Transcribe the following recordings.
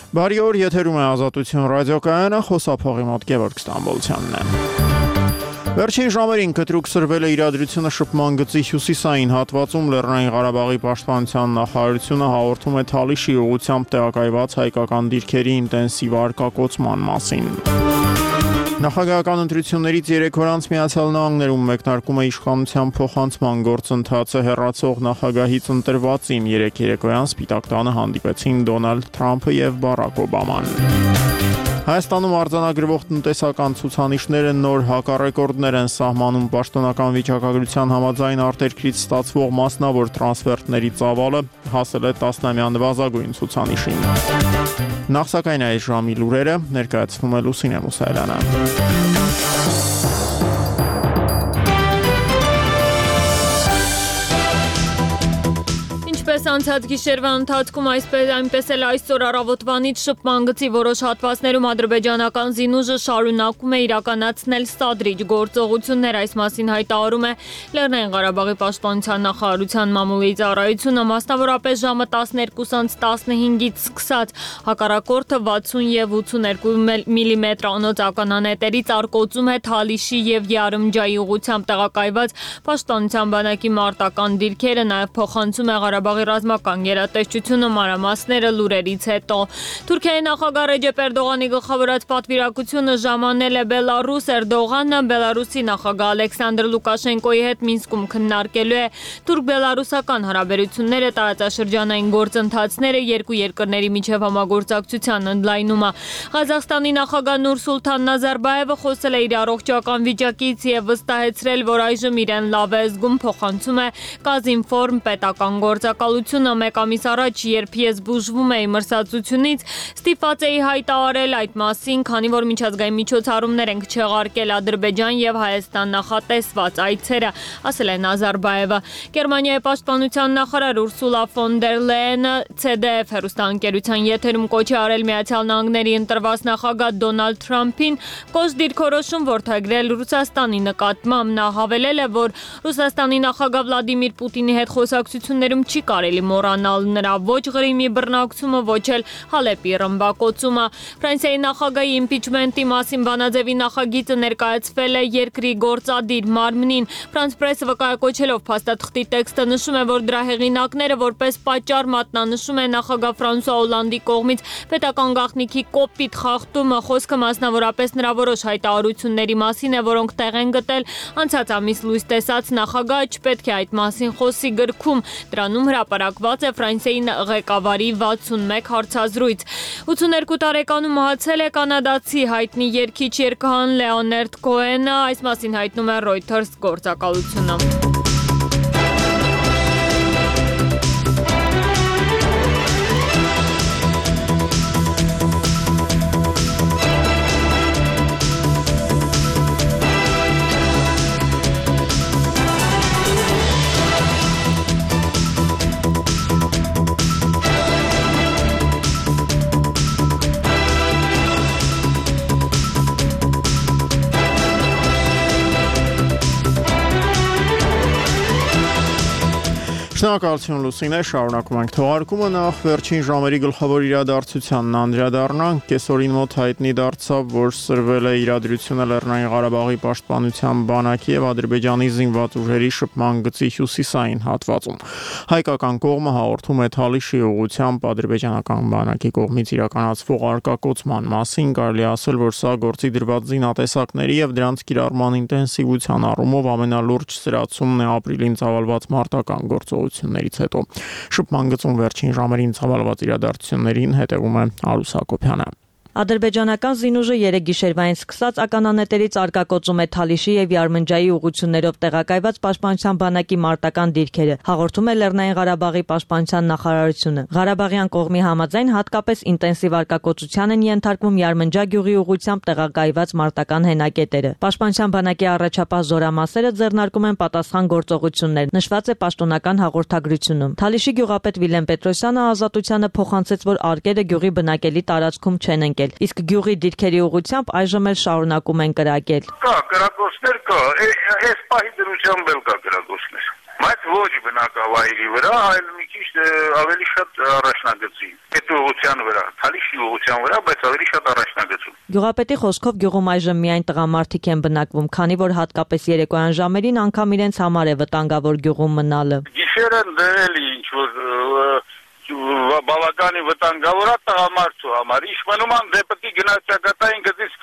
Բարի օր, եթերում է Ազատություն ռադիոկայանը, խոսափողի մոտ Գևորգ Ստամբոլցյանն է։ Վերջին ժամերին կտրուկ սրվել է իրադրությունը շփման գծի հյուսիսային հատվածում Լեռնային Ղարաբաղի պաշտպանության նախարարությունը հաղորդում է Թալիշի ուղղությամբ տեղակայված հայկական դիրքերի ինտենսիվ արկակոծման մասին։ Նախագահական ընտրություններից 3 օր անց Միացյալ Նահանգներում մեկնարկում է իշխանության փոխանցման գործընթացը հեռացող նախագահից ընտրվածին 3 երեկոյան Սպիտակ տանը հանդիպեցին Դոնալդ Թրամփը եւ Բարակ Օբաման։ Հայաստանում արձանագրվող տնտեսական ցուցանիշները նոր հակառեկորդներ են սահմանում պաշտոնական վիճակագրության համաձայն արտերկրից ստացվող մասնավոր տրանսֆերտների ծավալը հասել է 10-ամյա նվազագույն ցուցանիշին։ Նախ սակայն այս ժամի լուրերը ներկայացնում է Լուսինե Մուսայելյանը։ Ինչպես անցած գիշերվա ընթացքում, այնպես էլ այսօր առավոտվանից շփման գծի որոշ հատվածներում ադրբեջանական զինուժը շարունակում է իրականացնել սադրիչ գործողություններ, այս մասին հայտարարում է Լեռնային Ղարաբաղի պաշտպանության նախարարության մամուլի ծառայությունը, մասնավորապես ժամը 12:15-ից սկսած հակառակորդը 60 եւ 82 մմ անոց ականանետերից արկոծում է Թալիշի եւ Յարմջայի ուղղությամբ տեղակայված պաշտպանության բանակի մարտական դիրքերը, նաեւ փոխանցում է Ղարաբաղի ռազմական գերատեսչությունը մանրամասները լուրերից հետո։ Թուրքիայի նախագահ Ռեջեփ Էրդողանի գլխավորած պատվիրակությունը ժամանել է Բելարուս։ Էրդողանը Բելարուսի նախագահ Ալեքսանդր Լուկաշենկոյի հետ Մինսկում քննարկելու է թուրք-բելարուսական հարաբերությունները, տարածաշրջանային գործընթացները, երկու երկրների միջև համագործակցության ընդլայնումը։ Ղազախստանի նախագահ Նուրսուլթան Նազարբաևը խոսել է իր առողջական վիճակից եւ վստահեցրել, որ այժմ իրեն լավ է զգում, փոխանցում է Կազինֆորմ պետական գործակալությունը։ Մեկ ամիս առաջ, երբ ես բուժվում էի մրսածությունից, ստիպված էի հայտարարել այդ մասին, քանի որ միջազգային միջոցառումներ ենք չեղարկել Ադրբեջան եւ Հայաստան նախատեսված այցերը, ասել է Նազարբաևը։ Գերմանիայի պաշտպանության նախարար Ուրսուլա ֆոն դեր Լեյենը CDF հեռուստաընկերության եթերում կոչ է արել Միացյալ Նահանգների ընտրված նախագահ Դոնալդ Թրամփին կոշտ դիրքորոշում որդեգրել Ռուսաստանի նկատմամբ։ Նա հավելել է, որ Ռուսաստանի նախագահ Վլադիմիր Պուտինի հետ խոսակցություններում չի կարելի մոռանալ նրա ոչ Ղրիմի բռնակցումը, ոչ էլ Հալեպի ռմբակոծումը։ Ֆրանսիայի նախագահի իմպիչմենտի մասին բանաձևի նախագիծը ներկայացվել է երկրի գործադիր մարմնին։ Ֆրանս պրեսը վկայակոչելով փաստաթղթի տեքստը նշում է, որ դրա հեղինակները որպես պատճառ մատնանշում է նախագահ Ֆրանսուଆ Օլանդի կողմից պետական գաղտնիքի կոպիտ խախտումը։ Խոսքը մասնավորապես նրա որոշ հայտարարությունների մասին է, որոնք տեղ են գտել անցած ամիս լույս տեսած նախագահը չպետք է այդ մասին խոսի գրքում։ Դրանում հրապարակված է Ֆրանսիայի ղեկավարի 61 հարցազրույց։ 82 տարեկանում մահացել է կանադացի հայտնի երգիչ երգահան Լեոնարդ Քոենը, այս մասին հայտնում է Reuters գործակալությունը։ Շնորհակալություն Լուսինե, շարունակում ենք թողարկումը, նախ վերջին ժամերի գլխավոր իրադարձությանն անդրադառնանք։ Կեսօրին մոտ հայտնի դարձավ, որ սրվել է իրադրությունը Լեռնային Ղարաբաղի պաշտպանության բանակի եւ Ադրբեջանի զինված ուժերի շփման գծի հյուսիսային հատվածում։ Հայկական կողմը հաղորդում է Թալիշի ուղղությամբ ադրբեջանական բանակի կողմից իրականացվող արկակոծման մասին, կարելի ասել, որ սա գործի դրված զինատեսակների եւ դրանց կիրառման ինտենսիվության առումով ամենալուրջ սրացումն է ապրիլին ծավալված մարտական գործողություններից հետո։ Շփման գծում վերջին ժամերին ծավալված իրադարձություններին հետևում է Արուս Հակոբյանը։ Ադրբեջանական զինուժը 3 գիշերվային սկսած ականանետերից արկակոծում է Թալիշի եւ Յարմնջայի ուղղություններով տեղակայված պաշտպանության բանակի մարտական դիրքերը, հաղորդում է Լեռնային Ղարաբաղի պաշտպանության նախարարությունը։ Ղարաբաղյան կողմի համաձայն հատկապես ինտենսիվ արկակոծության են ենթարկվում Յարմնջա գյուղի ուղղությամբ տեղակայված մարտական հենակետերը։ Պաշտպանության բանակի առաջապահ զորամասերը ձեռնարկում են պատասխան գործողություններ, նշված է պաշտոնական հաղորդագրությունում։ Թալիշի գյուղապետ Վիլեն Պետրոսյանը Ազատությանը փոխանցեց, որ արկերը գյուղի բնակելի տարածքում չեն ընկել։ Իսկ գյուղի դիրքերի ուղղությամբ այժմ էլ շարունակում են կրակել։ Կա կրակոցներ կա, այս պահի դրությամբ էլ կա կրակոցներ։ Բայց ոչ բնակավայրի վրա, այլ մի քիչ ավելի շատ առաջնագծի։ Այդ ուղղության վրա, Թալիշի ուղղության վրա, բայց ավելի շատ առաջնագծում։ Գյուղապետի խոսքով գյուղում այժմ միայն տղամարդիկ են բնակվում, քանի որ հատկապես երեկոյան ժամերին անգամ իրենց համար է վտանգավոր գյուղում մնալը։ Գիշերը դրելի ինչ-որ բավականի վտանգավոր է տղամարդու համար։ Ինչ մնում են դեպի գնացակետային գծից,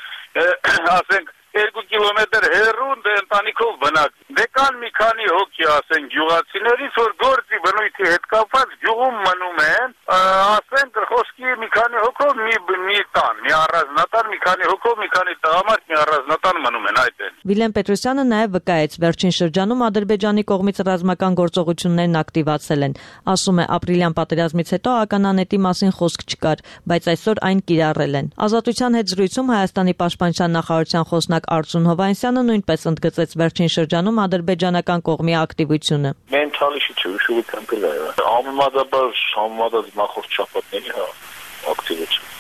ասենք 2 կիլոմետր հեռու ընտանիքով բնակ։ Դե կան մի քանի հոգի, ասենք, գյուղացիներից, որ գործի բնույթի հետ կապված գյուղում մնում են, ասենք, խոսքի մի քանի հոգով մի տան, մի առանձնատան, մի քանի հոգով, մի քանի տղամարդ մի առանձնատան մնում են, այդ են։ Վիլեն Պետրոսյանը նաև վկայեց, վերջին շրջանում Ադրբեջանի կողմից ռազմական գործողություններն ակտիվացել են։ Ասում է, ապրիլյան պատերազմից հետո ականանետի մասին խոսք չկար, բայց այսօր այն կիրառել են։ Ազատության հետ զրույցում Հայաստանի պաշտպանության նախարարության խոսնակ Արծուն Հովհաննիսյանը նույնպես ընդգծեց վերջին շրջանում ադրբեջանական կողմի ակտիվությունը։ Մենթալիշի ուշուղության պլանը։ Համեմատած նախորդ շաբաթների ակտիվություն։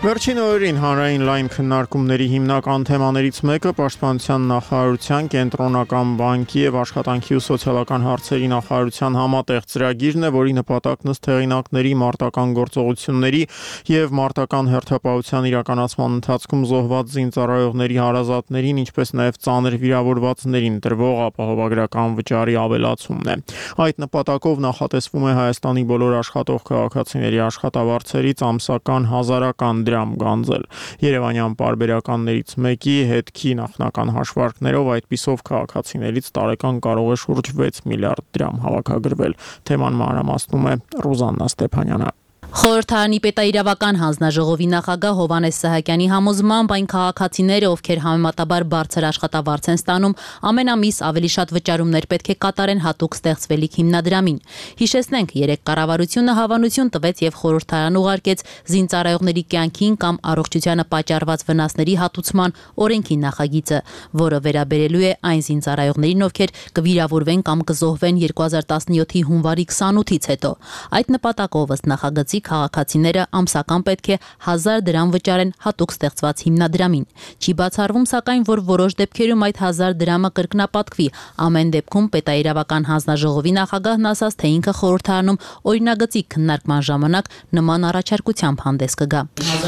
Վերջին օրերին հանրային լայն քննարկումների հիմնական թեմաներից մեկը պաշտպանության նախարարության, կենտրոնական բանկի եւ աշխատանքի ու սոցիալական հարցերի նախարարության համատեղ ծրագիրն է, որի նպատակն ըստ հեղինակների մարտական գործողությունների եւ մարտական հերթապահության իրականացման ընթացքում զոհված զինծառայողների հարազատներին, ինչպես նաեւ ծանր վիրավորվածներին տրվող ապահովագրական վճարի ավելացումն է։ Այդ նպատակով նախատեսվում է Հայաստանի բոլոր աշխատող քաղաքացիների աշխատավարձերից ամսական 1000 դրամ գանձել։ Երևանյան պարբերականներից մեկի հետքի նախնական հաշվարկներով այդպիսով քաղաքացիներից տարեկան կարող է շուրջ 6 միլիարդ դրամ հավաքագրվել։ Թեման մանրամասնում է Ռուզաննա Ստեփանյանը։ Խորհրդարանի պետաիրավական հանձնաժողովի նախագահ Հովհաննես Սահակյանի համոզմամբ այն քաղաքացիները, ովքեր համեմատաբար բարձր աշխատավարձ են ստանում, ամեն ամիս ավելի շատ վճարումներ պետք է կատարեն հատուկ ստեղծվելիք հիմնադրամին։ Հիշեցնենք, երեք կառավարությունը հավանություն տվեց եւ խորհրդարան ուղարկեց զինծառայողների կյանքին կամ առողջությանը պատճառված վնասների հատուցման օրենքի նախագիծը, որը վերաբերելու է այն զինծառայողներին, ովքեր կվիրավորվեն կամ կզոհվեն 2017-ի հունվարի 28-ից հետո։ Այդ նպատակով ըստ նախագծի քաղաքացիները ամսական պետք է 1000 դրամ վճարեն հատուկ ստեղծված հիմնադրամին։ Չի բացառվում, սակայն, որ որոշ դեպքերում այդ 1000 դրամը կրկնապատկվի։ Ամեն դեպքում պետաիրավական հանձնաժողովի նախագահն ասաց, թե ինքը խորհրդարանում օրինագծի քննարկման ժամանակ նման առաջարկությամբ հանդես կգա։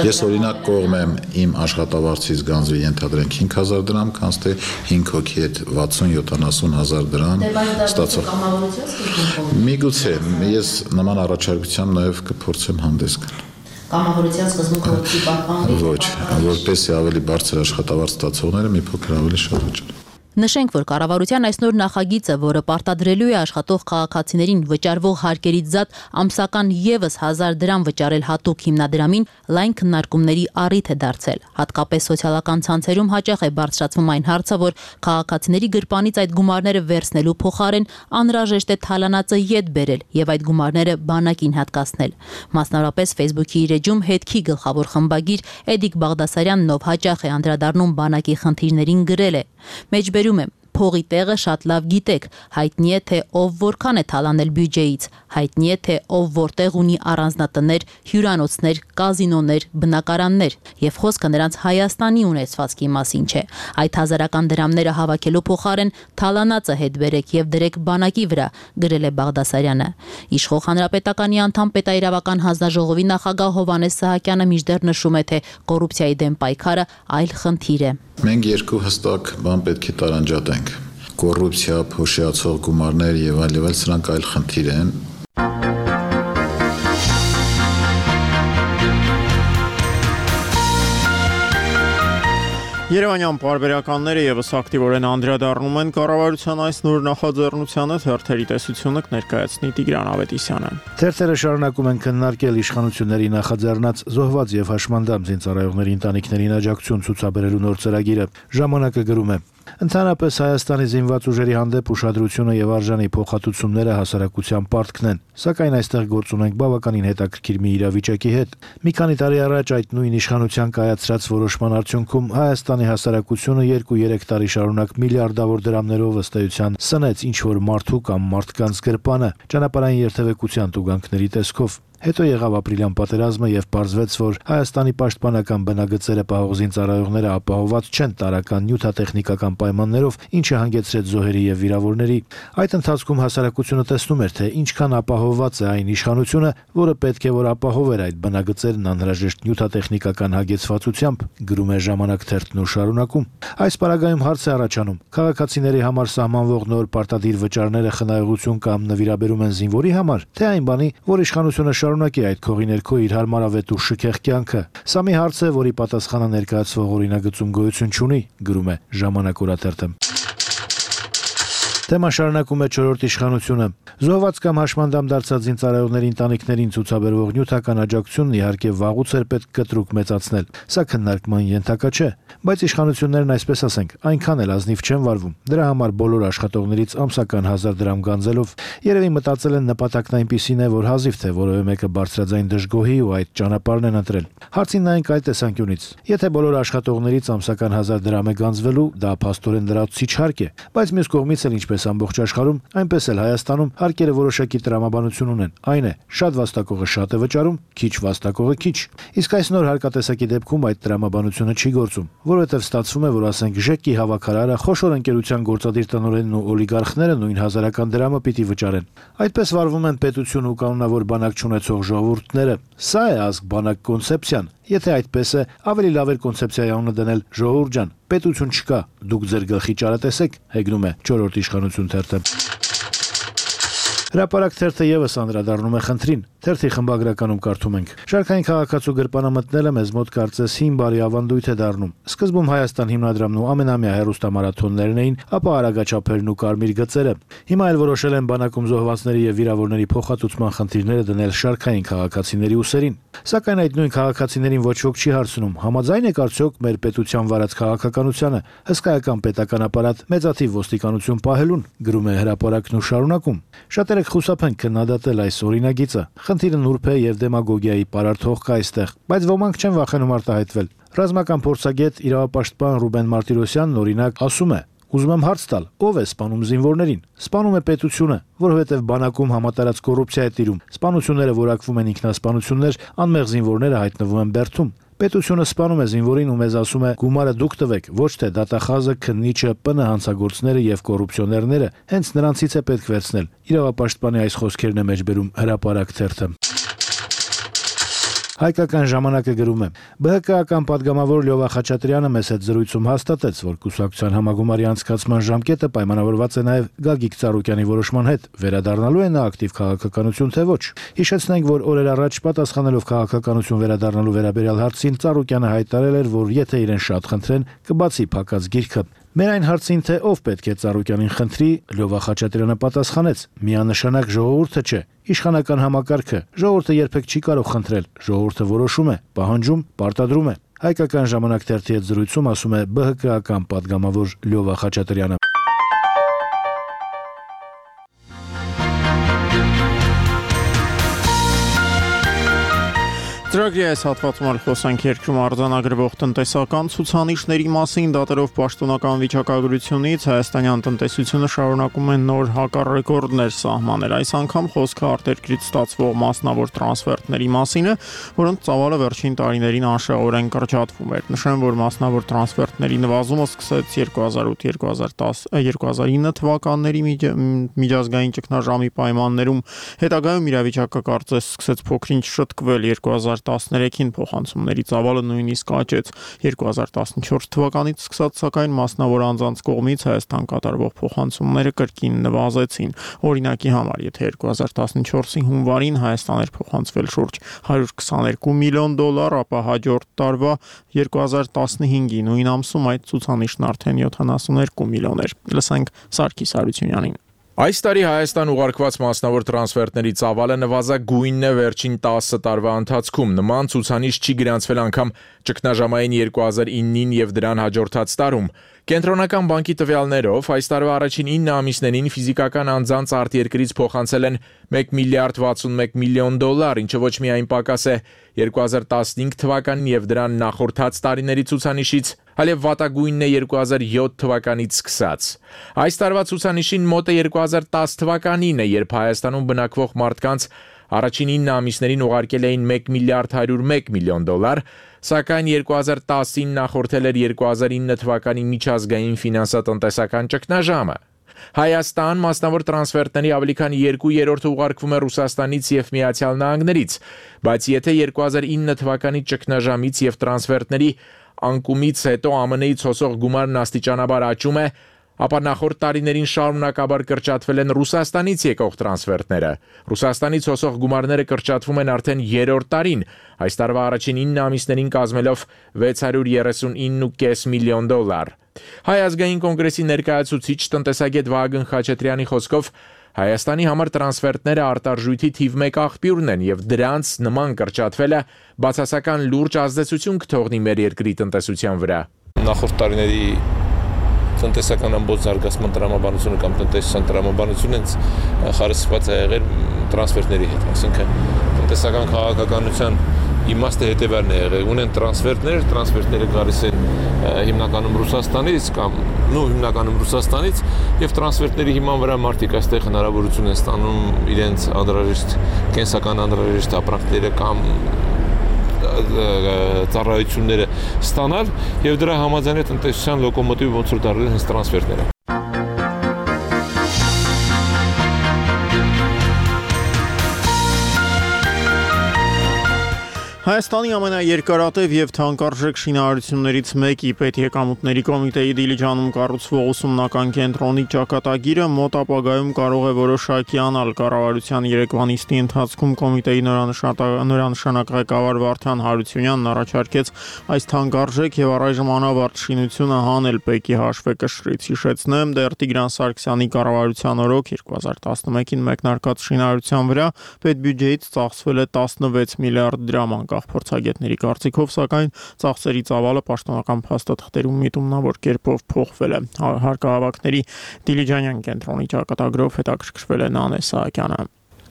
Ես օրինակ կողմ եմ իմ աշխատավարձից գանձվի ենթադրենք 5000 դրամ, քանց թե 5 հոգի հետ 60-70 դրամ ստացող։ Միգուցե ես նման առաջարկությամբ նաև կփորձեմ հանդես գալ։ Կամավորության սկզբունքը չի պահպանվի։ Ոչ, որպեսզի ավելի բարձր աշխատավարձ ստացողները մի փոքր ավելի շատ վճարեն։ Նշենք, որ կառավարության այս նոր նախագիծը, որը պարտադրելու է աշխատող քաղաքացիներին վճարվող հարկերից զատ ամսական եւս 1000 դրամ վճարել հատուկ հիմնադրամին, լայն քննարկումների առիթ է դարձել։ Հատկապես սոցիալական ցանցերում հաճախ է բարձրացվում այն հարցը, որ քաղաքացիների գրպանից այդ գումարները վերցնելու փոխարեն անհրաժեշտ է թալանածը ետ բերել եւ այդ գումարները բանակին հատկացնել։ Մասնավորապես Facebook-ի իր էջում հետքի գլխավոր խմբագիր Էդիկ Բաղդասարյանն, ով հաճախ է անդրադառնում բանակի խնդիրներին, գրել է. Մեջբերում եմ, փողի տեղը շատ լավ գիտեք, հայտնի է, թե ով որքան է թալանել բյուջեից, հայտնի է, թե ով որտեղ ունի առանձնատներ, հյուրանոցներ, կազինոներ, բնակարաններ, եւ խոսքը նրանց Հայաստանի ունեցվածքի մասին չէ։ Այդ հազարական դրամները հավաքելու փոխարեն թալանածը հետ բերեք եւ դրեք բանակի վրա, գրել է Բաղդասարյանը։ Իշխող հանրապետականի անդամ պետաիրավական հանձնաժողովի նախագահ Հովհաննես Սահակյանը մինչդեռ նշում է, թե կոռուպցիայի դեմ պայքարը այլ խնդիր է։ Մենք երկու հստակ բան պետք է տարանջատենք։ Կոռուպցիա, փոշիացող գումարներ եւ այլ, սրանք այլ խնդիր են։ Երևանյան պարբերականները եւս ակտիվորեն անդրադառնում են կառավարության այս նոր նախաձեռնությանը, թերթերի տեսությունը կներկայացնի Տիգրան Ավետիսյանը։ Թերթերը շարունակում են քննարկել իշխանությունների նախաձեռնած զոհված եւ հաշմանդամ զինծառայողների ընտանիքներին աջակցություն ցուցաբերելու նոր ծրագիրը։ Ժամանակը գրում է. Ընդհանրապես Հայաստանի զինված ուժերի հանդեպ ուշադրությունը եւ արժանի փոխհատուցումները հասարակության պարտքն են, սակայն այստեղ գործ ունենք բավականին հետաքրքիր մի իրավիճակի հետ։ Մի քանի տարի առաջ այդ նույն իշխանության կայացրած որոշման արդյունքում Հայաստանի հասարակությունը 2-3 տարի շարունակ միլիարդավոր դրամներով ըստ էության սնեց ինչ-որ մարդու կամ մարդկանց գրպանը ճանապարհային երթևեկության տուգանքների տեսքով։ Հետո եղավ ապրիլյան պատերազմը եւ պարզվեց, որ Հայաստանի պաշտպանական բնագծերը պահող զինծառայողները ապահովված չեն տարրական նյութատեխնիկական պայմաններով, ինչը հանգեցրեց զոհերի եւ վիրավորների։ Այդ ընթացքում հասարակությունը տեսնում էր, թե ինչքան ապահովված է այն իշխանությունը, որը պետք է որ ապահովեր այդ բնագծերն անհրաժեշտ նյութատեխնիկական հագեցվածությամբ, գրում է Ժամանակ թերթն ու շարունակում։ Այս պարագայում հարց է առաջանում. քաղաքացիների համար սահմանվող նոր պարտադիր վճարները խնայողություն կամ նվիրաբերում են զինվորի համար, թե այն բանի, որ իշխանությունը շարունակի այդ քողի ներքո իր հարմարավետ ու շքեղ կյանքը։ Սա մի հարց է, որի պատասխանը ներկայացվող օրինագծում գոյություն չունի, գրում է Ժամանակ օրաթերթը։ Թեման շարունակում է չորրորդ իշխանությունը։ Զոհված կամ հաշմանդամ դարձած զինծառայողների ընտանիքներին ցուցաբերվող նյութական աջակցությունն իհարկե վաղուց էր պետք կտրուկ մեծացնել։ Սա քննարկման ենթակա չէ, բայց իշխանություններն այսպես ասենք, այնքան էլ ազնիվ չեն վարվում։ Դրա համար բոլոր աշխատողներից ամսական 1000 դրամ գանձելով երևի մտածել են նպատակն այնպիսին է, որ հազիվ թե որևէ մեկը բարձրաձայն դժգոհի ու այդ ճանապարհն են ընտրել։ Հարցին նայենք այդ տեսանկյունից։ Եթե բոլոր աշխատողներից ամսական 1000 դրամ է գանձվելու, դա փաստորեն լրացուցիչ հարկ է, բայց մյուս կողմից էլ ինչպես ամբողջ աշխարհում, այնպես էլ Հայաստանում հարկերը որոշակի տրամաբանություն ունեն։ Այն է, շատ վաստակողը շատ է վճարում, քիչ վաստակողը քիչ։ Իսկ այս նոր հարկատեսակի դեպքում այդ տրամաբանությունը չի գործում, որովհետև ստացվում է, որ ասենք ԺԿ-ի հավաքարարը, խոշոր ընկերության գործադիր տնօրենն ու օլիգարխները նույն 1000-ական դրամը պիտի վճարեն։ Այդպես վարվում են պետություն ու կանոնավոր բանակ չունեցող ժողովուրդները։ Սա է ազգ բանակ կոնցեպցիան։ Եթե այդպես է, ավելի լավ էր կոնցեպցիայի անունը դնել ժողովուրդ ջան, պետություն չկա, դուք ձեր գլխի ճարատեսեք, հեգնում է չորրորդ իշխանություն թերթը։ Հրապարակ թերթը եւս անդրադառնում է խնդրին։ Թերթի խմբագրականում կարդում ենք. Շարքային քաղաքացու գրպանը մտնելը մեզ մոտ կարծես հին բարի ավանդույթ է դառնում։ Սկզբում Հայաստան հիմնադրամն ու ամենամյա հեռուստամարաթոններն էին, ապա արագաչափերն ու կարմիր գծերը։ Հիմա էլ որոշել են բանակում զոհվածների եւ վիրավորների փոխհատուցման խնդիրները դնել շարքային քաղաքացիների ուսերին։ Սակայն այդ նույն քաղաքացիներին ոչ ոք չի հարցնում. համաձայն եք արդյոք մեր պետության վարած քաղաքականությանը, հսկայական պետական ապարատ, մեծաթիվ ոստիկանություն պահելուն, գրում է հրապարակն ու շարունակում։ Շատերը խուսափեն քննադատել այս օրինագիծը։ Խնդիրը նուրբ է եւ դեմագոգիայի պարարթող կա այստեղ, բայց ոմանք չեն վախենում արտահայտվել։ Ռազմական փորձագետ իրավապաշտպան Ռուբեն Մարտիրոսյանն օրինակ ասում է. Ուզում եմ հարց տալ, ով է սպանում զինվորներին։ Սպանում է պետությունը, որովհետև բանակում համատարած կոռուպցիա է տիրում։ Սպանությունները որակվում են ինքնասպանություններ, անմեղ զինվորները հայտնվում են բերդում։ Պետությունը սպանում է զինվորին ու մեզ ասում է՝ գումարը դուք տվեք, ոչ թե դատախազը, քննիչը, ՊՆ հանցագործները եւ կոռուպցիոներները, հենց նրանցից է պետք վերցնել։ Իրավապաշտպանի այս խոսքերն է մեջբերում հրապարակ թերթը։ Հայկական ժամանակը գրում է. ԲՀԿ-ական падգամավոր Լյովա Խաչատրյանը մեզ հետ զրույցում հաստատեց, որ կուսակցության համագումարի անցկացման ժամկետը պայմանավորված է նաև Գագիկ Ծառուկյանի որոշման հետ, վերադառնալու է նա ակտիվ քաղաքականություն թե ոչ։ Հիշեցնենք, որ օրեր առաջ պատասխանելով քաղաքականություն վերադառնալու վերաբերյալ հարցին Ծառուկյանը հայտարարել էր, որ եթե իրեն շատ խնդրեն, կբացի փակած գիրքը։ Մեր այն հարցին, թե ով պետք է Ծառուկյանին խնդրի, Լյովա Խաչատրյանը պատասխանեց. միանշանակ ժողովուրդը չէ, իշխանական համակարգը, ժողովուրդը երբեք չի կարող խնդրել, ժողովուրդը որոշում է, պահանջում, պարտադրում է։ Հայկական ժամանակ թերթի հետ զրույցում ասում է ԲՀԿ-ական падգամավոր Լյովա Խաչատրյանը։ Ծրագրի այս հատվածում էլ խոսանք երկրում արձանագրվող տնտեսական ցուցանիշների մասին, դատելով պաշտոնական վիճակագրությունից հայաստանյան տնտեսությունը շարունակում է նոր հակառեկորդներ սահմանել։ Այս անգամ խոսքը արտերկրից ստացվող մասնավոր տրանսֆերտների մասին է, որոնց ծավալը վերջին տարիներին անշեղորեն կրճատվում էր։ Նշեմ, որ մասնավոր տրանսֆերտների նվազումը սկսեց 2008-2009 թվականների միջազգային ճգնաժամի պայմաններում, հետագայում իրավիճակը կարծես սկսեց փոքրինչ շտկվել 2013-ին փոխանցումների ծավալը նույնիսկ աճեց 2014 թվականից սկսած, սակայն մասնավոր անձանց կողմից Հայաստան կատարվող փոխանցումները կրկին նվազեցին։ Օրինակի համար, եթե 2014-ի հունվարին Հայաստան էր փոխանցվել շուրջ $122 միլիոն, ապա հաջորդ տարվա 2015-ի նույն ամսում այդ ցուցանիշն արդեն 72 միլիոն էր։ Լսենք Սարգիս Հարությունյանին։ Այս տարի Հայաստան ուղարկված մասնավոր տրանսֆերտների ծավալը նվազագույնն է վերջին 10 տարվա ընթացքում։ Նման ցուցանիշ չի գրանցվել անգամ ճգնաժամային 2009-ին եւ դրան հաջորդած տարում։ Կենտրոնական բանկի տվյալներով այս տարվա առաջին 9 ամիսներին ֆիզիկական անձանց արտերկրից փոխանցել են $1 միլիարդ 61 միլիոն, ինչը ոչ միայն պակաս է 2015 թվականին եւ դրան նախորդած տարիների ցուցանիշից, այլև վատագույնն է 2007 թվականից սկսած։ Այս տարվա ցուցանիշին մոտ է 2010 թվականին է, երբ Հայաստանում բնակվող մարդկանց առաջին 9 ամիսներին ուղարկել էին $1 միլիարդ 101 միլիոն, սակայն 2010-ին նախորդել էր 2009 թվականի միջազգային ֆինանսատնտեսական ճգնաժամը։ Հայաստան մասնավոր տրանսֆերտների ավելի քան 2/3-ը ուղարկվում է Ռուսաստանից եւ Միացյալ Նահանգներից, բայց եթե 2009 թվականի ճգնաժամից եւ տրանսֆերտների անկումից հետո ԱՄՆ-ից հոսող գումարն աստիճանաբար աճում է, ապա նախորդ տարիներին շարունակաբար կրճատվել են Ռուսաստանից եկող տրանսֆերտները։ Ռուսաստանից հոսող գումարները կրճատվում են արդեն 3-րդ տարին, այս տարվա առաջին 9 ամիսներին կազմելով $639.5 միլիոն։ Հայ ազգային կոնգրեսի ներկայացուցիչ տնտեսագետ Վահագն Խաչատրյանի խոսքով Հայաստանի համար տրանսֆերտները արտարժույթի թիվ 1 աղբյուրն են եւ դրանց նման կրճատվելը բացասական լուրջ ազդեցություն կթողնի մեր երկրի տնտեսության վրա։ Նախորդ տարիների տնտեսական ամբողջ զարգացման տրամաբանությունը կամ տնտեսական տրամաբանությունը հենց խարսխված է եղել տրանսֆերտների հետ, այսինքն տնտեսական քաղաքականության իմաստը հետևյալն է եղել, ունեն տրանսֆերտները գալիս են հիմնականում Ռուսաստանից եւ տրանսֆերտների հիման վրա մարդիկ այստեղ հնարավորություն են ստանում իրենց անհրաժեշտ կենսական անհրաժեշտ ապրանքները կամ ծառայությունները ստանալ եւ դրա համաձայն է տնտեսության լոկոմոտիվը ոնց որ դարձել հենց տրանսֆերտները։ Հայաստանի ամենաերկարատև եւ թանկարժեք շինարարություններից մեկի պետեկամուտների կոմիտեի Դիլիջանում կառուցվող ուսումնական կենտրոնի ճակատագիրը մոտ ապագայում կարող է որոշակի անալ։ Կառավարության երեկվա նիստի ընթացքում կոմիտեի նորանշանակ ղեկավար Վարդան Հարությունյանն առաջարկեց այս թանկարժեք եւ առայժմ անավարտ շինությունը հանել ՊԵԿ-ի հաշվեկշռից։ Հիշեցնեմ, դեռ Տիգրան Սարգսյանի կառավարության օրոք 2011-ին մեկնարկած շինարարության վրա պետբյուջեից ծախսվել է 16 միլիարդ դրամ։ Փորձագետների կարծիքով, սակայն ծախսերի ծավալը պաշտոնական փաստաթղթերում միտումնավոր կերպով փոխվել է։ Հարկահավաքների Դիլիջանյան կենտրոնի ճակատագրով հետաքրքրվել է Նանե Սահակյանը։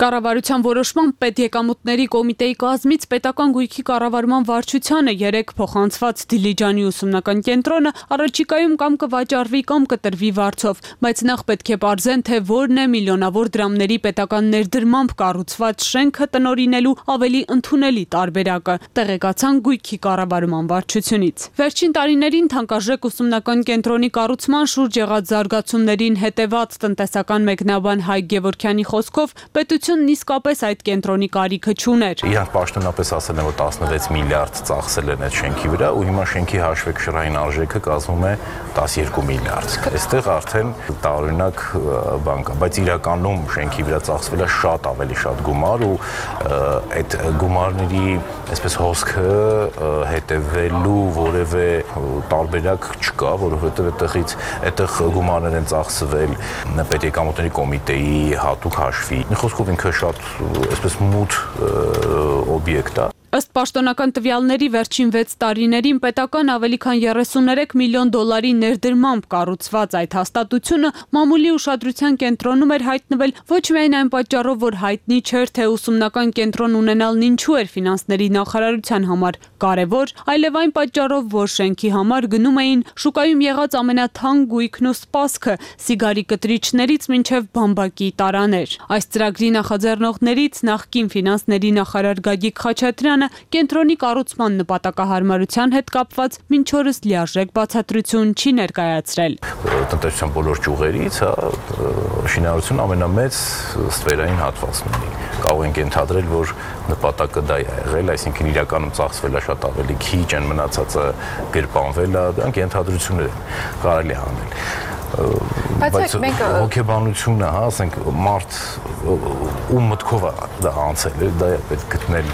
Կառավարության որոշմամբ պետեկամուտների կոմիտեի կազմից պետական գույքի կառավարման վարչությանը 3 փոխանցված Դիլիջանի ուսումնական կենտրոնը առաջիկայում կամ կվաճառվի կամ կտրվի վարձով, բայց նախ պետք է պարզեն, թե որն է միլիոնավոր դրամների պետական ներդրմամբ կառուցված շենքը տնօրինելու ավելի ընդունելի տարբերակը, տեղեկացան գույքի կառավարման վարչությունից։ Վերջին տարիներին թանկարժեք ուսումնական կենտրոնի կառուցման շուրջ եղած զարգացումներին հետևած տնտեսական մեկնաբան Հայկ Գևորգյանի խոսքով պետությունն իսկապես այդ կենտրոնի կարիքը չուներ։ Իրանք պաշտոնապես ասել են, որ 16 միլիարդ ծախսել են այդ շենքի վրա ու հիմա շենքի հաշվեկշռային արժեքը կազմում է 12 միլիարդ։ Այստեղ արդեն տարօրինակ բան կա, բայց իրականում շենքի վրա ծախսվել է շատ ավելի շատ գումար ու այդ գումարների այսպես հոսքը հետևելու որևէ տարբերակ չկա, որովհետև այդտեղ գումարներ են ծախսվել պետեկամուտների կոմիտեի հատուկ հաշվի։ Խոսքով ինքը շատ այսպես մութ օբյեկտ է։ Ըստ պաշտոնական տվյալների վերջին 6 տարիներին պետական ավելի քան 33 միլիոն դոլարի ներդրմամբ կառուցված այդ հաստատությունը մամուլի ուշադրության կենտրոնում էր հայտնվել ոչ միայն այն պատճառով, որ հայտնի չէր, թե ուսումնական կենտրոն ունենալն ինչու էր ֆինանսների նախարարության համար կարևոր, այլև այն պատճառով, որ շենքի համար գնում էին շուկայում եղած ամենաթանկ գույքն ու սպասքը՝ սիգարի կտրիչներից մինչև բամբակի տարաներ։ Այս ծրագրի նախաձեռնողներից նախկին ֆինանսների նախարար Գագիկ Խաչատրյանը կենտրոնի կառուցման նպատակահարմարության հետ կապված մինչ օրս լիարժեք բացատրություն չի ներկայացրել։ Տնտեսության բոլոր ճյուղերից շինարարությունը ամենամեծ ստվերային հատվածն ունի։ Կարող ենք ենթադրել, որ նպատակը դա է եղել, այսինքն իրականում ծախսվել է շատ ավելի քիչ, այն մնացածը գրպանվել է, դրանք ենթադրություններ են, կարելի է հանել։ Բայց հոգեբանությունը, ասենք, մարդ ու մտքով է դա անցել, դա է պետք գտնել։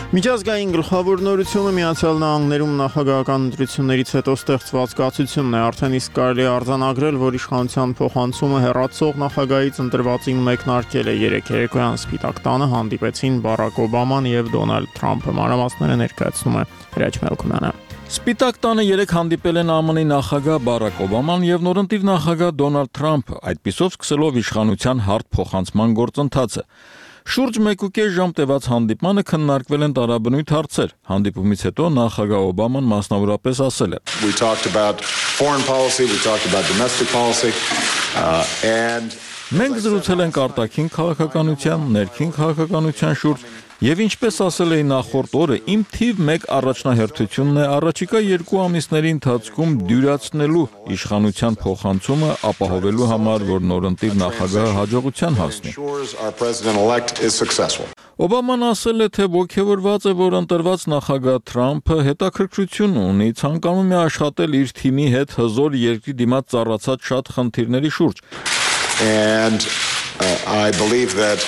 Միջազգային գլխավոր նորությունը Միացյալ Նահանգներում նախագահական ընտրություններից հետո ստեղծված կացությունն է, արդեն իսկ կարելի է արձանագրել, որ իշխանության փոխանցումը հեռացող նախագահից ընտրվածին մեկնարկել է։ Երեկ երեկոյան Սպիտակ տանը հանդիպեցին Բարակ Օբաման եւ Դոնալդ Թրամփը։ Մանրամասները ներկայացնում է Հրաչ Մելքոնյանը։ Սպիտակ տանը երեկ հանդիպել են ԱՄՆ-ի նախագահ Բարակ Օբաման եւ նորընտիր նախագահ Դոնալդ Թրամփը, այդպիսով սկսելով իշխանության հարթ փոխանցման գործընթացը։ Շուրջ 1.5 ժամ տևած հանդիպմանը քննարկվել են տարաբնույթ հարցեր։ Հանդիպումից հետո նախագահ Օբաման մասնավորապես ասել է. We talked about foreign policy, we talked about domestic policy, and մենք զրուցել ենք արտաքին քաղաքականության, ներքին քաղաքականության շուրջ, եւ ինչպես ասել էի նախորդ օրը, իմ թիվ 1 առաջնահերթությունն է առաջիկա 2 ամիսների ընթացքում դյուրացնելու իշխանության փոխանցումը ապահովելու համար, որ նորընտիր նախագահը հաջողության հասնի։ Օբաման ասել է, թե ոգևորված է, որ ընտրված նախագահ Թրամփը հետաքրքրություն ունի, ցանկանում է աշխատել իր թիմի հետ հզոր երկրի դիմաց ծառացած շատ խնդիրների շուրջ։ And I believe that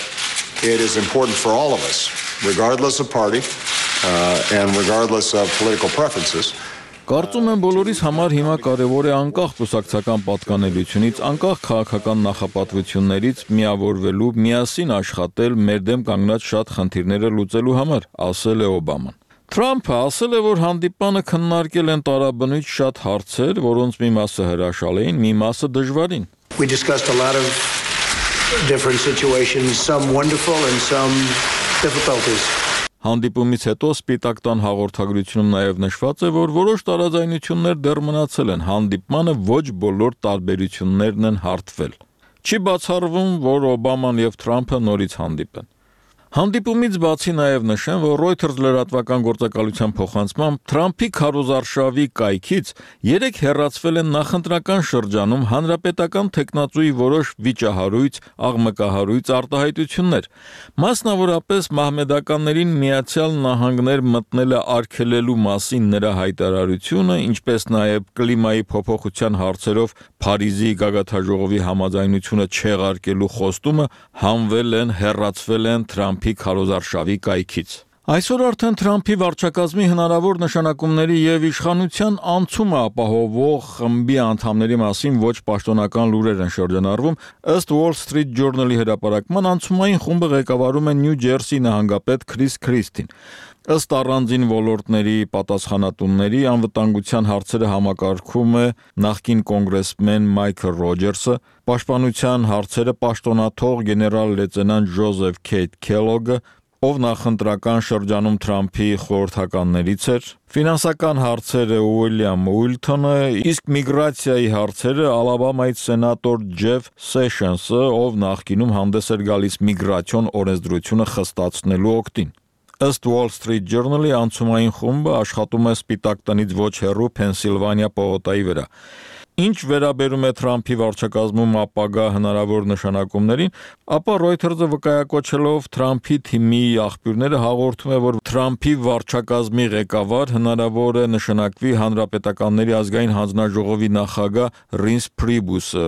it is important for all of us, regardless of party and regardless of political preferences. Կարծում եմ բոլորիս համար հիմա կարևոր է անկախ կուսակցական պատկանելությունից, անկախ քաղաքական նախապատվություններից միավորվելու, միասին աշխատել մեր դեմ կանգնած շատ խնդիրները լուծելու համար, ասել է Օբաման։ Թրամփը ասել է, որ հանդիպանը քննարկել են տարաբնույթ շատ հարցեր, որոնց մի մասը հրաշալի էին, մի մասը դժվարին։ We discussed a lot of different situations, some wonderful and some difficulties. Հանդիպումից հետո Սպիտակ տան հաղորդագրությունում նաև նշված է, որ որոշ տարաձայնություններ դեռ մնացել են, հանդիպմանը ոչ բոլոր տարբերություններն են հարթվել։ Չի բացառվում, որ Օբաման եւ Թրամփը նորից հանդիպեն։ Հանդիպումից բացի նաև նշեմ, որ Reuters լրատվական գործակալության փոխանցմամբ Թրամփի քարոզարշավի կայքից երեք հեռացվել են նախընտրական շրջանում հանրապետական տեխնացուի որոշ վիճահարույց, աղմկահարույց արտահայտություններ։ Մասնավորապես մահմեդականներին Միացյալ Նահանգներ մտնել է արգելելու մասին նրա հայտարարությունը, ինչպես նաև կլիմայի փոփոխության հարցերով Փարիզի գագաթաժողովի համաձայնությունը չեղարկելու խոստումը հանվել են, հեռացվել են Թրամփի քարոզարշավի կայքից։ Այսօր արդեն Թրամփի վարչակազմի հնարավոր նշանակումների եւ իշխանության անցումը ապահովող խմբի անդամների մասին ոչ պաշտոնական լուրեր են շրջանառվում, ըստ Wall Street Journal-ի հրապարակման անցումային խումբը ղեկավարում է Նյու Ջերսի նահանգապետ Քրիս Քրիստին։ Ըստ առանձին ոլորտների պատասխանատուների անվտանգության հարցերը համակարգում է նախկին կոնգրեսմեն Մայքլ Ռոջերսը, պաշտպանության հարցերը պաշտոնաթող գեներալ լեյտենանտ Ջոզեֆ Քեյթ Քելոգը, ով նախընտրական շրջանում Թրամփի խորհրդականներից էր, ֆինանսական հարցերը Ուիլյամ Ուիլթոնը, իսկ միգրացիայի հարցերը Ալաբամայից սենատոր Ջեֆ Սեշենսը, ով նախկինում հանդես էր գալիս միգրացիոն օրենսդրությունը խստացնելու օգտին։ Ըստ Wall Street Journal-ի անցումային խումբը աշխատում է Սպիտակ տնից ոչ հեռու Փենսիլվանիա պողոտայի վրա։ Ինչ վերաբերում է Թրամփի վարչակազմում ապագա հնարավոր նշանակումներին, ապա Reuters-ը վկայակոչելով Թրամփի թիմի աղբյուրները հաղորդում է, որ Թրամփի վարչակազմի ղեկավար հնարավոր է նշանակվի Հանրապետականների ազգային հանձնաժողովի նախագահ Ռինս Փրիբուսը։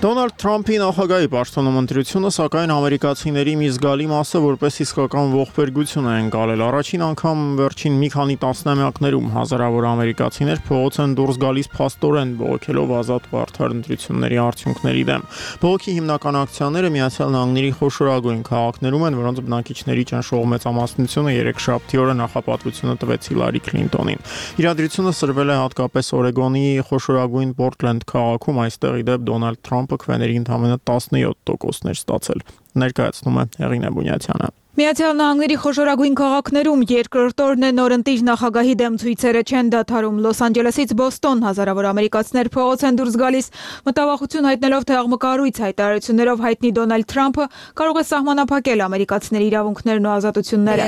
Դոնալդ Թրամփի նախագահի պաշտոնում ընտրությունը, սակայն ամերիկացիների մի զգալի մասը որպես իսկական ողբերգություն է ընկալել։ Առաջին անգամ վերջին մի քանի տասնամյակներում հազարավոր ամերիկացիներ փողոց են դուրս գալիս փաստորեն բողոքելով ազատ ու արդար ընտրությունների արդյունքների դեմ։ Բողոքի հիմնական ակցիաները Միացյալ Նահանգների խոշորագույն քաղաքներում են, որոնց բնակիչների ճնշող մեծամասնությունը երեքշաբթի օրը նախապատվությունը տվեց Հիլարի Քլինտոնին։ Իրադրությունը սրվել է հատկապես Օրեգոնի խոշորագույն Պորտլենդ քաղաքում, այստեղ ի դեպ Դոնալդ Թրամփը քվեների ընդամենը 17%-ներ ստացել։ Ներկայացնում է Հեղինե Բունյացյանը։ Միացյալ Նահանգների խոշորագույն քաղաքներում երկրորդ օրն է նորընտիր նախագահի դեմ ցույցերը չեն դադարում։ Լոս Անջելեսից Բոստոն հազարավոր ամերիկացիներ փողոց են դուրս գալիս, մտավախություն հայտնելով, թե աղմկահարույց հայտարարություններով հայտնի Դոնալդ Թրամփը կարող է սահմանափակել ամերիկացիների իրավունքներն ու ազատությունները։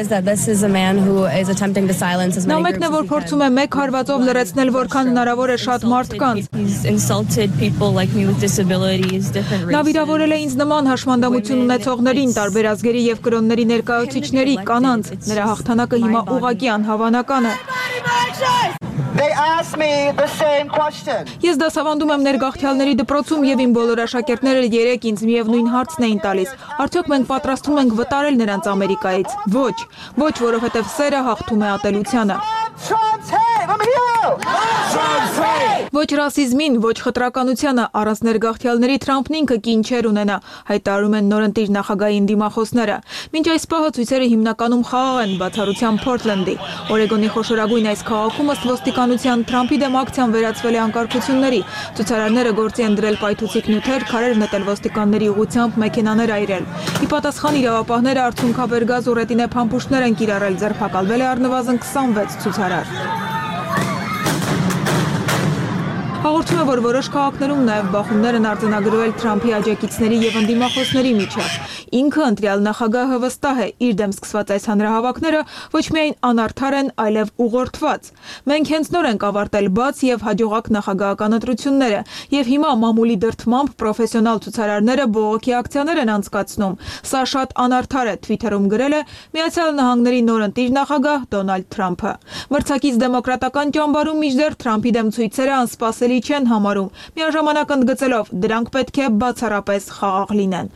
Նա մեկն է, որ փորձում է մեկ հարվածով լրացնել որքան հնարավոր է շատ մարդկանց։ Նա վիրավորել է ինձ նման հաշմանդամություն ունեցողներին, տարբեր ազգերի եւ կրոնների ներկայացուցիչների, կանանց։ Նրա հաղթանակը հիմա ուղղակի անհավանական է։ They asked Ես դասավանդում եմ ներգաղթյալների դպրոցում եւ իմ բոլոր աշակերտները երեք ինձ միևնույն հարցն էին տալիս. արդյոք մենք պատրաստվում ենք վտարել նրանց Ամերիկայից։ Ոչ, որովհետեւ սերը հաղթում է ատելությանը։ Ոչ ռասիզմին, ոչ խտրականությանը, առանց ներգաղթյալների Թրամփն ինքը կին չէր ունենա, հայտարարում են նորընտիր նախագահի դիմախոսները։ Մինչ այս պահը ցույցերը հիմնականում խաղաղ են, բացառությամբ Փորթլենդի։ Օրեգոնի խոշորագույն այս քաղաքում ըստ ոստիկանության Թրամփի դեմ ակցիան վերածվել է անկարգությունների։ Ցուցարարները գործի են դրել պայթուցիկ նյութեր, քարեր նետել ոստիկանների ուղղությամբ, մեքենաներ այրել։ Ի պատասխան իրավապահները արցունքաբեր գազ ու ռետինե փամփուշտներ են կիրառել, ձերբակալվել է առնվազն 26 ցուցարար։ Հաղորդում է, որ որոշ քաղաքներում նաև բախումներ են արձանագրվել Թրամփի աջակիցների եւ ընդդիմախոսների միջև։ Ինքը ընտրյալ նախագահը վստահ է, իր դեմ սկսված այս հանրահավաքները ոչ միայն անարդար են, այլև ուղղորդված։ Մենք հենց նոր ենք ավարտել բաց եւ հաջողակ նախագահական ընտրությունները, եւ հիմա մամուլի դրդմամբ պրոֆեսիոնալ ցուցարարները բողոքի ակցիաներ են անցկացնում։ Սա շատ անարդար է, Twitter-ում գրել է Միացյալ Նահանգների նորընտիր նախագահ Դոնալդ Թրամփը։ Մրցակից դեմոկրատական ճամբարում մինչդեռ Թրամփի դեմ ցույցերը անսպասելի չեն համարում, միաժամանակ ընդգծելով դրանք պետք է բացառապես խաղաղ լինեն։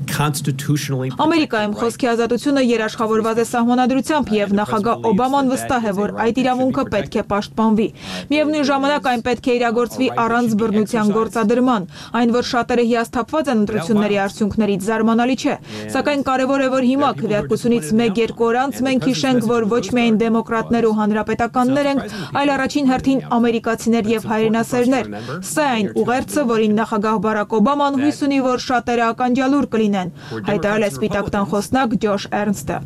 Ամերիկայում խոսքի ազատությունը երաշխավորված է սահմանադրությամբ եւ նախագահ Օբաման վստահ է, որ այդ իրավունքը պետք է պաշտպանվի։ Միևնույն ժամանակ այն պետք է իրագործվի առանց բռնության գործադրման, այն որ շատերը հիասթափված են ընտրությունների արդյունքներից զարմանալի չէ, սակայն կարևոր է, որ հիմա քվեարկությունից 1-2 օր անց մենք հիշենք, որ ոչ միայն դեմոկրատներ ու հանրապետականներ ենք, այլ առաջին հերթին ամերիկացիներ եւ հայրենասերներ։ Սա այն ուղերձը, որին նախագահ Բարակ Օբաման հույս ունի, որ շատերը ականջալուր կլինեն, հայտարարել է Սպիտակ տան խոսնակ Ջոշ Էրնստը։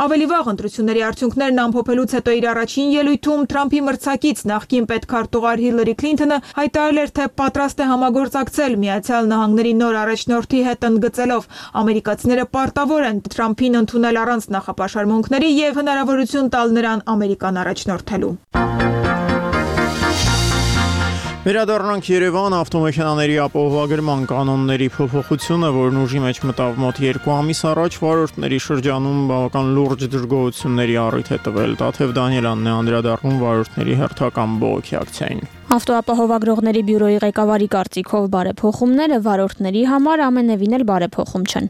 Ավելի վաղ ընտրությունների արդյունքներն ամփոփելուց հետո իր առաջին ելույթում Թրամփի մրցակից նախկին պետքարտուղար Հիլարի Քլինթոնը հայտարարել էր, թե պատրաստ է համագործակցել Միացյալ Նահանգների նոր առաջնորդի հետ, ընդգծելով ամերիկացիները պարտավոր են Թրամփին ընդունել առանց նախապաշարմունքների եւ հնարավորություն տալ նրան Ամերիկան առաջնորդելու։ Վերադառնանք Երևան, ավտոմեքենաների ապահովագրման կանոնների փոփոխությունը, որն ուժի մեջ մտավ մոտ 2 ամիս առաջ, վարորդների շրջանում բավական լուրջ դժգոհությունների առիթ է տվել։ Տաթև Դանիելյանն է անդրադառնում վարորդների հերթական բողոքի ակցիային։ Ավտոապահովագրողների բյուրոյի ղեկավարի կարծիքով բարեփոխումները վարորդների համար ամենևին էլ բարեփոխում չեն։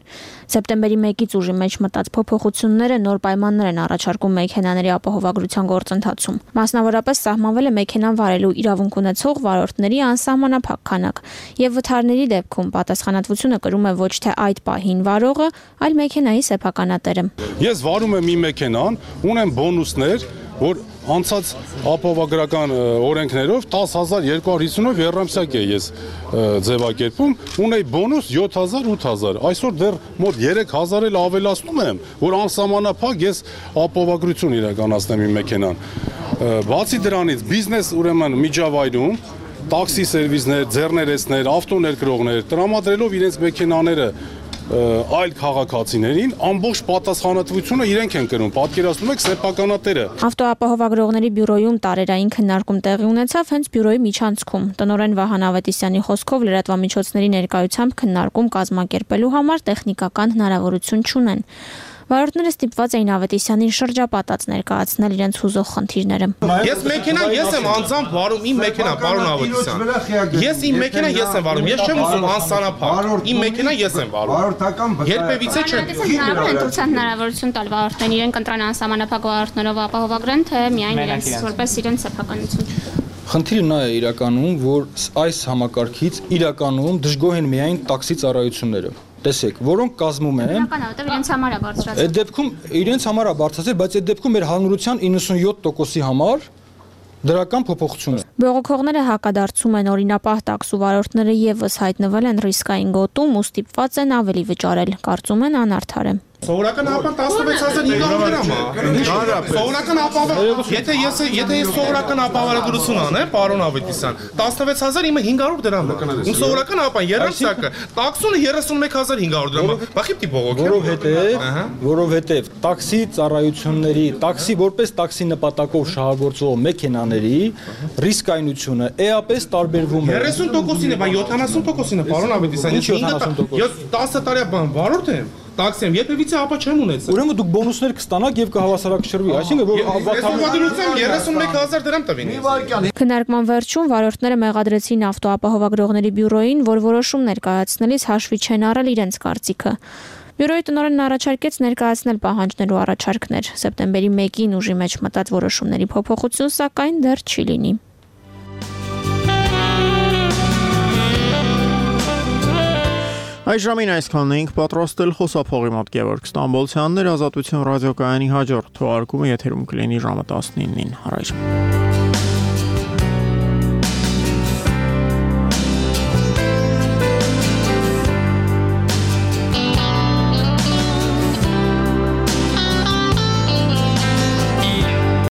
Սեպտեմբերի 1-ից ուժի մեջ մտած փոփոխությունները նոր պայմաններ են առաջարկում մեքենաների ապահովագրության գործընթացում։ Մասնավորապես սահմանվել է մեքենան վարելու իրավունք ունեցող վարորդների անսահմանափակ քանակ, եւ վթարների դեպքում պատասխանատվությունը կրում է ոչ թե այդ պահին վարողը, այլ մեքենայի սեփականատերը։ Ես վարում եմ իմ մեքենան, ունեմ բոնուսներ, որ անցած ապահովագրական օրենքներով 10250-ով երամսյակ է ես ձևակերպում, ունեի բոնուս 7000-8000, այսօր դեռ մոտ 3000 էլ ավելացնում եմ, որ անսահմանափակ ես ապահովագրություն իրականացնեմ իմ մեքենան։ Բացի դրանից բիզնես ուրեմն միջավայրում տաքսի սերվիսներ, ձեռներեցներ, ավտոներկրողներ տրամադրելով իրենց մեքենաները այլ քաղաքացիներին ամբողջ պատասխանատվությունը իրենք են կրում, պատկերացնում եք սեփականատերը։ Ավտոապահովագրողների բյուրոյում տարերային քննարկում տեղի ունեցավ հենց բյուրոյի միջանցքում։ Տնօրեն Վահան Ավետիսյանի խոսքով լրատվամիջոցների ներկայությամբ քննարկում կազմակերպելու համար տեխնիկական հնարավորություն չունեն։ Վարորդները ստիպված էին Ավետիսյանին շրջապատած ներկայացնել իրենց հուզող խնդիրները։ Ես մեքենան ես եմ անձամբ վարում, իմ մեքենա, պարոն Ավետիսյան։ Ես իմ մեքենա ես եմ վարում, ես չեմ ուզում անսանափակ։ Իմ մեքենա ես եմ վարում։ Երբևիցե չեմ։ Ընտրության հնարավորություն տալ վարորդներին, իրենք ընտրան անսահմանափակ վարորդներով ապահովագրեն, թե միայն իրենց որպես իրենց սեփականություն։ Խնդիրը նա է իրականում, որ այս համակարգից իրականում դժգոհ են միայն տաքսի ծառայությունները։ Տեսեք, որոնք կազմում են իրենց համար է բարձրացել։ Այդ դեպքում իրենց համար է բարձրացել, բայց այդ դեպքում մեր հանրության 97%-ի համար դրական փոփոխություն է։ Բողոքողները հակադարձում են օրինապահ տաքսու վարորդները եւս հայտնվել են ռիսկային գոտում ու ստիպված են ավելի վճարել, կարծում են անարդար է։ Սովորական ապան 16500 դրամ է։ Սովորական ապահով, եթե ես սովորական ապահովագրություն անեմ, պարոն Ավետիսյան, 16000 իմը 500 դրամ է։ Իմ սովորական ապան երամսյակը, տաքսունը 31500 դրամ է։ Բախի պիտի բողոքի։ Որովհետև տաքսի ծառայությունների, տաքսի որպես տաքսի նպատակով շահագործող մեքենաների ռիսկայնությունը էապես տարբերվում է։ 30%-ին է, բան 70%-ին է, պարոն Ավետիսյան։ Ես 10 տարի բան վարորդ եմ։ տաքսի եմ, երբևիցե ապա չեմ ունեցել։ Ուրեմն դուք բոնուսներ կստանաք եւ կհավասարակշռվի, այսինքն որ ավանդությամբ 31000 դրամ տվին։ Քննարկման վերջում վարորդները մեղադրեցին ավտոապահովագրողների բյուրոին, որ որոշումներ կայացնելիս հաշվի չեն առել իրենց կարծիքը։ Բյուրոյի տնօրենն առաջարկեց ներկայացնել պահանջներ ու առաջարկներ։ Սեպտեմբերի 1-ին ուժի մեջ մտած որոշումների փոփոխություն սակայն դեռ չի լինի։ Այս ժամին այսքանն էինք պատրաստել խոսափողի մոտ Գևորգ Ստամբոլցյանն էր Ազատություն ռադիոկայանի հաջորդ թողարկումը եթերում կլինի ժամը 19-ին։ Առայժմ